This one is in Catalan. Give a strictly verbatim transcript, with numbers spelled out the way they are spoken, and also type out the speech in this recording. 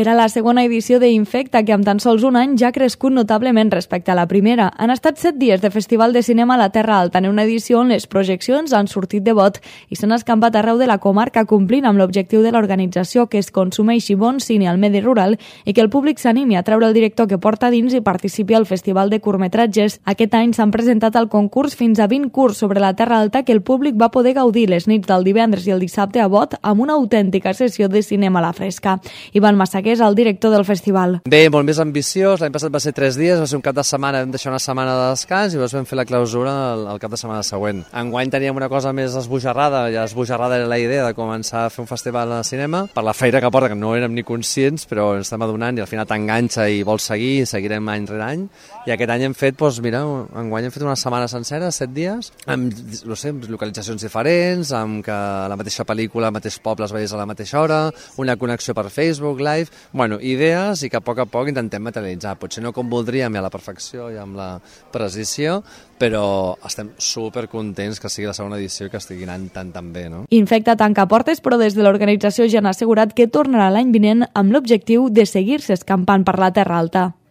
Era la segona edició d'Infecta, que amb tan sols un any ja ha crescut notablement respecte a la primera. Han estat set dies de Festival de Cinema a la Terra Alta, en una edició on les projeccions han sortit de bot i s'han escampat arreu de la comarca, complint amb l'objectiu de l'organització, que es consumeixi bon cine al medi rural i que el públic s'animi a treure el director que porta dins i participi al Festival de Curtmetratges. Aquest any s'han presentat al concurs fins a vint curts sobre la Terra Alta que el públic va poder gaudir les nits del divendres i el dissabte a bot amb una autèntica sessió de cinema a la fresca. Ivan Massaquer és el director del festival. Bé, molt més ambiciós. L'any passat va ser tres dies, va ser un cap de setmana, vam deixar una setmana de descans i llavors vam fer la clausura el, el cap de setmana següent. Enguany teníem una cosa més esbojarrada, ja esbojarrada era la idea de començar a fer un festival de cinema, per la feina que porta, que no érem ni conscients, però ens estem adonant i al final t'enganxa i vols seguir, i seguirem any rere any. I aquest any hem fet, doncs mira, enguany hem fet una setmana sencera, set dies, amb, no sé, localitzacions diferents, amb que la mateixa pel·lícula, el mateix poble es veiés a la mateixa hora, una connexió per Facebook Live, bueno, idees i que a poc a poc intentem materialitzar. Potser no com voldríem i a la perfecció i amb la precisió, però estem supercontents que sigui la segona edició i que estigui anant tan tan bé, no? Infecta tanca portes, però des de l'organització ja han assegurat que tornarà l'any vinent amb l'objectiu de seguir-se escampant per la Terra Alta.